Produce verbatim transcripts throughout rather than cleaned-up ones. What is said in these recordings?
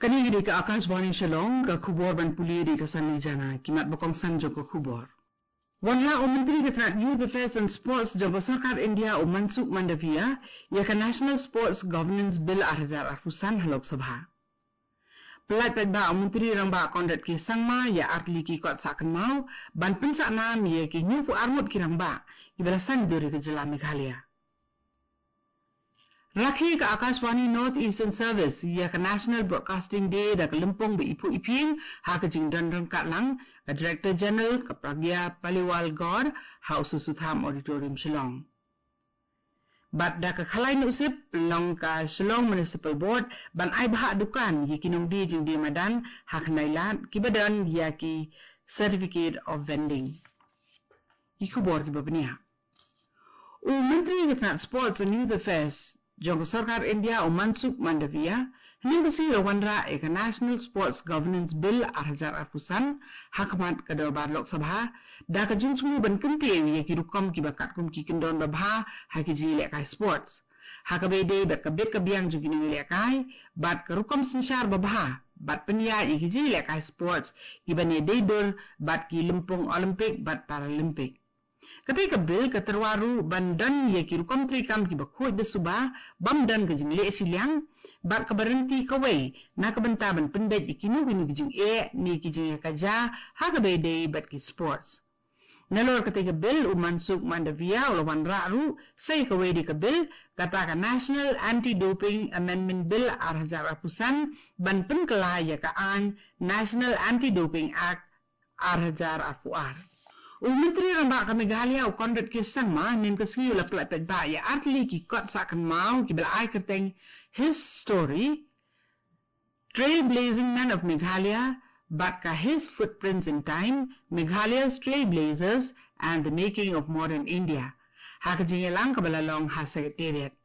Kane ka dei ka Akashvani Shillong, ka khubor ban pule da ka Sanli Jana, ki mat ba kongsan jong ka khubor. Wanrah u Myntri ka tnat Youth Affairs and Sports jong ka Sorkar India u Mansukh Mandaviya ïa ka National Sports Governance Bill ar hajar arphew san ha Lok Sabha. Pyllait paidbah u Myntri Rangbah Conrad K Sangma ïa artylli ki kot sah kynmaw ban pynsah nam ïa ki hynñiewphew ar ngut ki rangbah kiba la saiñdur ïa ka jylla Meghalaya. Rakhe ka Akashvani North Eastern Service ïa ka National Broadcasting Day da ka lympung ba iphuh iphieng ha ka jingdon ryngkat lang ka Director General ka Pragya Paliwal Gaur ha u Sutsutham Auditorium Shillong. Bad da ka Khalai Nuhsip pynlong ka Shillong Municipal Board ban ai bhah dukan ïa ki nongdie jingdie madan ha khyndai lad kiba don ïa ki Certificate of Vending. Ki khubor kiba bniah. U Myntri ka tnat Sports and Youth Affairs jong ka Sorkar India u Mansukh Mandaviya hynne ka sngi u la wanrah ïa ka National Sports Governance Bill ar hajar arphew san ha khmat ka Dorbar Lok Sabha da ka jingsngew ban kyntiew ïa ki rukom kiba katkum ki kyndon babha ha ki jingïalehkai sports, ha kaba ïadei bad ka bit ka biang jong ki nongïalehkai bad ka rukom synshar babha bad pynïaid ïa ki jingïalehkai sports kiban ïadei dur bad ki lympung Olympic bad Paralympic. Katei ka bill ka tyrwa ruh ban don ïa ki rukom treikam kiba khuid da suba bym don ka jingleh shiliang bad kaba ryntih kawei na ka bynta ban pynbeit ïa kino kino ki jingeh ne ki jingïakajia ha kaba ïadei bad ki sports. Nalor katei ka bill u Mansukh Mandaviya u la wanrah ruh sa ïa kawei de ka bill, kata ka National Anti-Doping Amendment Bill ar hajar arphew san ban pynkylla ïa ka aiñ National Anti-Doping Act ar hajar arphew ar. U Myntri Rangbah ka Meghalaya u Conrad K Sangma hynne ka sngi u la pyllait paidbah ïa artylli ki kot sah kynmaw kiba la ai kyrteng His Story, Trailblazing Man of Meghalaya bad ka His Footprints in Time, Meghalaya's Trailblazers and the Making of Modern India ha ka jingïalang kaba la long ha Secretariat.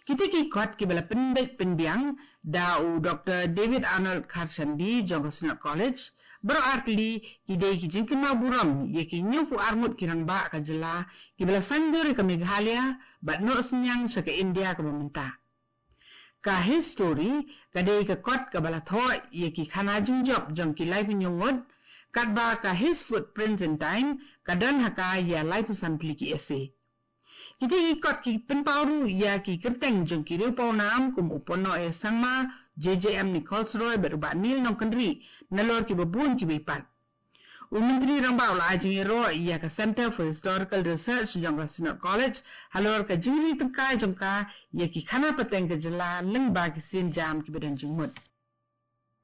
Kita ki kot kiba la pynbeit pynbiang da u Doktor David Arnold Kharshandi jong ka Synod College, baroh artylli ki dei ki jingkynmaw burom ïa ki hynñiewphew ar ngut ki rangbah ka jylla kiba la saiñdur ïa ka Meghalaya bad noh synñiang sha ka India kaba mynta. Ka His Story ka dei ka kot kaba la thoh ïa ki khana jingjop jong ki laiphew hynñiew ngut, katba ka His Footprints in Time ka don ha ka ïa laiphew san tylli ki essay. Kita ki kot ki pynpaw ruh ïa ki kyrteng jong ki riew pawnam kum u Ponoh A Sangma, J J M Nichols Roy bad u Bah Neil Nongkynrih nalor kiba bun kiba ïapat. U Myntri Rangbah u la ai jingïaroh ïa ka Centre for Historical Research jong ka Synod College halor ka jingri tyngkai jong ka ïa ki khana pateng ka jylla lyngba ki sienjam kiba don jingmut.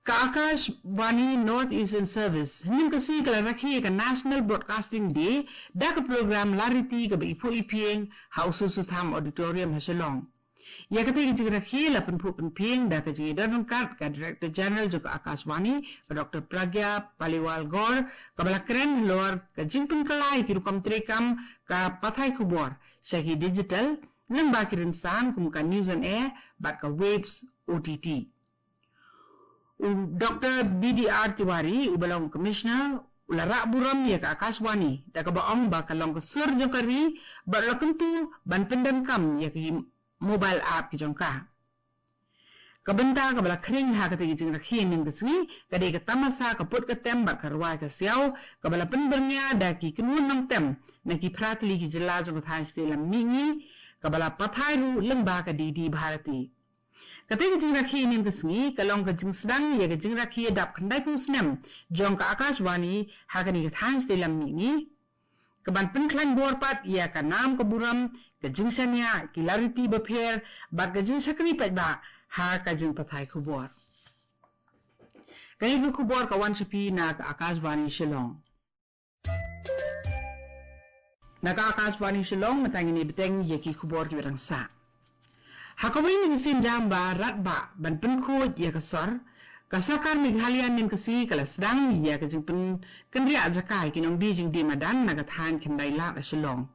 Ka Akashvani North Eastern Service hynne ka sngi ka la rakhe ïa ka National Broadcasting Day da ka program lariti kaba iphuh iphieng ha u Sutsutham Auditorium ha Shillong. Ïa katei ka jingrakhe la pynphuh pynphieng da ka jingïadon ryngkat ka Director General jong ka Akashvani ka Doktor Pragya Paliwal Gaur kaba la kren halor ka jingpynkylla ïa ki rukom treikam ka pathai khubor sha ki digital lyngba ki rynsan kum ka News on Air bad ka Waves O T T. U Doktor B D R Tiwari uba long Commissioner u la rah burom ïa ka Akashvani da kaba ong ba ka long ka sur jong ka ri bad u la kyntu ban pyndonkam ïa ki mobile app ki jong ka. Ka bynta kaba la khring ha katei ka jingrakhe hynne ka sngi ka dei ka tamasa ka put ka tem bad ka rwai ka siaw kaba la pynbyrngia da ki kynhun nongtem na ki phra tylli ki jylla jong ka thaiñ shatei lam mihngi kaba la pathai ruh lyngba ka D D Bharati. Katei ka jingrakhe hynne ka sngi ka long ka jingsdang ïa ka jingrakhe dap khyndaiphew snem jong ka Akashvani ha kane ka thaiñ shatei lam mihngi. Kaban pynkhlaiñ bor pat ïa ka nam ka burom, ka jingshaniah, ki lariti bapher bad ka jingshakri paidbah ha ka jingpathai khubor. Kane ka khubor ka wan sha phi na ka Akashvani Shillong. Na ka Akashvani Shillong mynta ngin ïa bteng ïa ki khubor kiba dang sah. Ha kawei na ki sienjam ba radbah ban pynkhuid ïa ka sor, ka Sorkar Meghalaya hynne ka sngi ka la sdang ïa ka jingpynkynriah jaka ïa ki nongdie jingdie madan na ka thaiñ Khyndailad ha Shillong.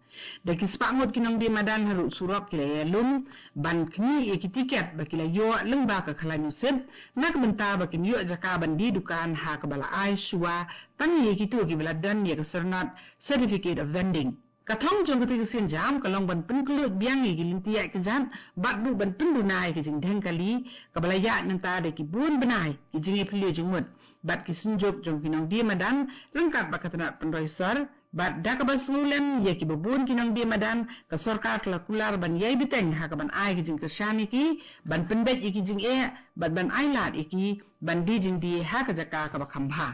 Da ki spah ngut ki nongdie madan harud surok ki la ïalum ban khmih ïa ki tiket ba ki la ïoh lyngba ka Khalai Nuhsip na ka bynta ba kin ïoh jaka ban die dukan ha kaba la ai shuwa tang ïa kito kiba la don ïa ka syrnod Certificate of Vending. Ka thong jong kata ka sienjam ka long ban pynkhlaiñ biang ïa ki lynti ïaid kjat bad ruh ban pynduna ïa ki jingdheng kali kaba la ïaid mynta da ki bun bnai ki jingïapylliej jingmut bad ki synjuk jong ki nongdie madan ryngkat bad ka tnat pynroi sor bad da kaba sngewlem ïa kiba bun ki nongdie madan ka sorkar ka la kular ban ïai bteng ha kaban ai ki jingkyrshan ïa ki ban pynbeit ïa ki jingeh bad ban ai lad ïa ki ban die jingdie ha ka jaka kaba kham bha.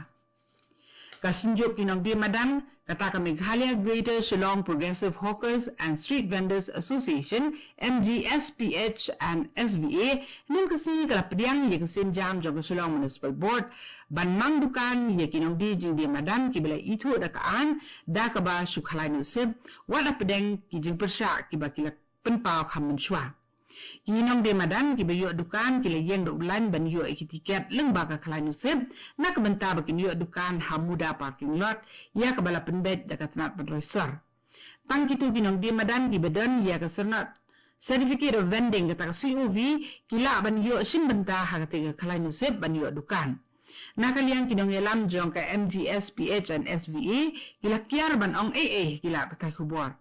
Ka synjuk ki nongdie madan kata ka Meghalaya Greater Shillong Progressive Hawkers and Street Vendors Association, M G S P H and S V A, hynnin ka sngi ka la pdiang ïa ka sienjam jong ka Shillong Municipal Board ban mang dukan ïa ki nongdie jingdie madan kiba la ithuh da ka aiñ da kaba shu khlaiñ nusip wat la pdeng ki jingpyrshah kiba ki la pynpaw kham mynshuwa. Ki nongdie madan kiba ïoh dukan ki la ïeng da u laiñ ban ïoh ïa ki tiket lyngba ka khlaiñ nusip na ka bynta ba kin ïoh dukan ha muda parking lot ïa kaba la pynbeit da ka tnat pynroi sor. Tang kito ki nongdie madan kiba don ïa ka syrnod Certificate of Vending kata ka C O V ki lah ban ïoh shim bynta ha kata ka khlaiñ nusip ban ïoh dukan. Na ka liang ki nongïalam jong ka M G S P H and S V A ki la kiar ban ong ei ei ki la pathai khubor.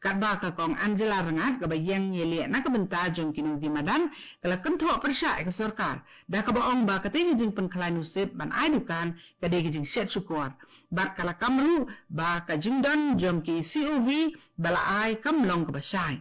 Katba ka kong Angela Rngat kaba ïeng ïaleh na ka bynta jong ki nongdie madan ka la kynthoh pyrshah ïa ka sorkar da kaba ong ba katei ka jingpynkhlaiñ nusip ban ai dukan ka dei ka jingshet shukor bad ka la kam ruh ba ka jingdon jong ki C O V ba la ai kam long kaba shai.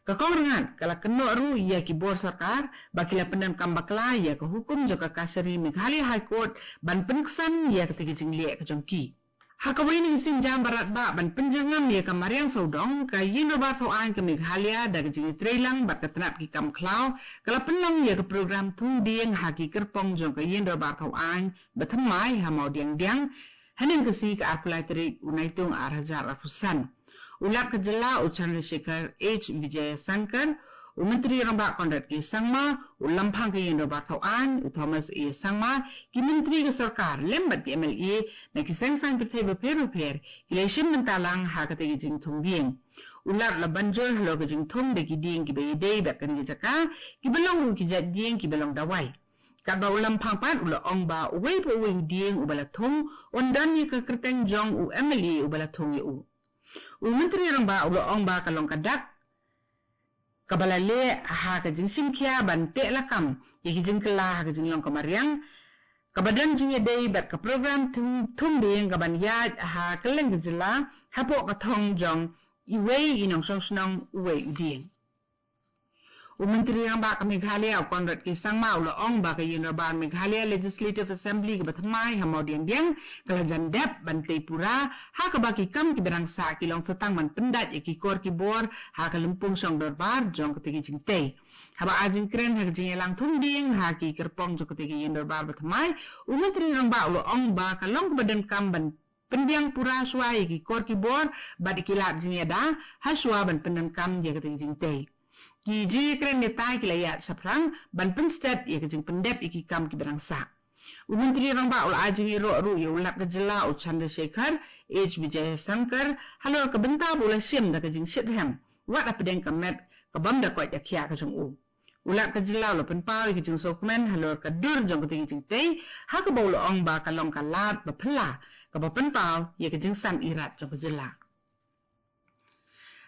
Ka kong Rngat ka la kynnoh ruh ïa ki bor sorkar ba ki la pyndonkam bakla ïa ka hukum jong ka kashari Meghalaya High Court ban pynksan ïa katei ka jingleh ka jong ki. Ha kawei na ki sienjam ba radbah ban pynjyrngam ïa ka mariang sawdong ka Ïing Dorbar Thaw Aiñ ka Meghalaya da ka jingïatreilang bad ka tnat ki kam khlaw ka la pynlong ïa ka program thung dieng ha ki kyrpong jong ka Ïing Dorbar Thaw Aiñ ba thymmai ha Mawdiangdiang hynnin ka sngi ka arphew lai tarik u Naitung ar hajar arphew san. U Lat ka jylla u Chandrasekhar H Vijayashankar, u Myntri Rangbah Conrad K Sangma, u Lamphang ka Ïing Dorbar Thaw Aiñ u Thomas A Sangma, ki myntri ka sorkar lem bad ki M L A na ki seng saiñ pyrthei bapher bapher ki la shim bynta lang ha katei ka jingthung dieng. U Lat la ban jur halor ka jingthung da ki dieng kiba ïadei bad kane ka jaka kiba long ruh ki jait dieng kiba long dawai. Katba u Lamphang pat u la ong ba uwei pa uwei u dieng uba la thung un don ïa ka kyrteng jong u M L A uba la thung ïa u. U Myntri Rangbah u la ong ba ka long ka dak kaba la leh ha ka jingshim khia ban teh lakam ïa ki jingkylla ha ka jinglong ka mariang kaba don jingïadei bad ka program thung, thung dieng kaban ïaid ha kylleng ka jylla hapoh ka thong jong iwei i nongshong shnong uwei u dieng. U Myntri Rangbah ka Meghalaya u Conrad K Sangma u la ong ba ka Ïing Dorbar Meghalaya Legislative Assembly kaba thymmai ha Mawdiangdiang ka la jan dep ban tei pura ha kaba ki kam kiba dang sah ki long sa tang ban pyndait ïa ki kor ki bor ha ka lympung shong dorbar jong katei ka jingtei. Haba ai jingkren ha ka jingïalang thung dieng ha ki kyrpong jong katei ka Ïing Dorbar ba thymmai, u Myntri Rangbah u la ong ba ka long kaba donkam ban pynbiang pura shuwa ïa ki kor ki bor bad ïa ki lad jingïada ha shuwa ban pyndonkam ïa katei ka jingtei. Ki jingïakren neita ki la ïaid shaphrang ban pynstet ïa ka jingpyndep ïa ki kam kiba dang sah. U Myntri Rangbah u la ai jingïaroh ruh ïa u Lat ka jylla u Chandrasekhar H Vijayashankar halor ka bynta ba u la shim da ka jingshitrhem wat hapdeng ka met ka bym da koit da khiah ka jong u. U Lat ka jylla u la pynpaw ïa ka jingsngewkmen halor ka dur jong katei ka jingtei ha kaba u la ong ba ka long ka lad ba phylla kaba pynpaw ïa ka jingsan irat jong ka jylla.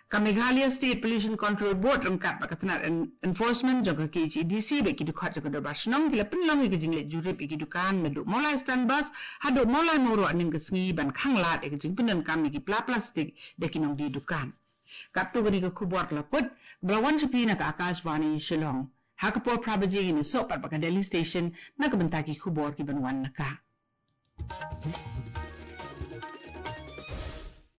Ka Meghalaya State Pollution Control Board ryngkat bad ka tnat en-, enforcement jong ka K H A D C bad ki dkhot jong ka dorbar shnong ki la pynlong ïa ka jingleit jurip ïa ki dukan naduh Mawlai Stand Bus haduh Mawlai Mawroh hynnin ka sngi ban khang lad ïa ka jingpyndonkam ïa ki pla plastik da ki nongdie dukan. Katto katne ka khubor ka la kut, ba la wan sha phi na ka Akashvani Shillong. Ha ka por phra baje ngin ïasoh pat bad ka Delhi Station na ka bynta ki khubor kiban wan na ka.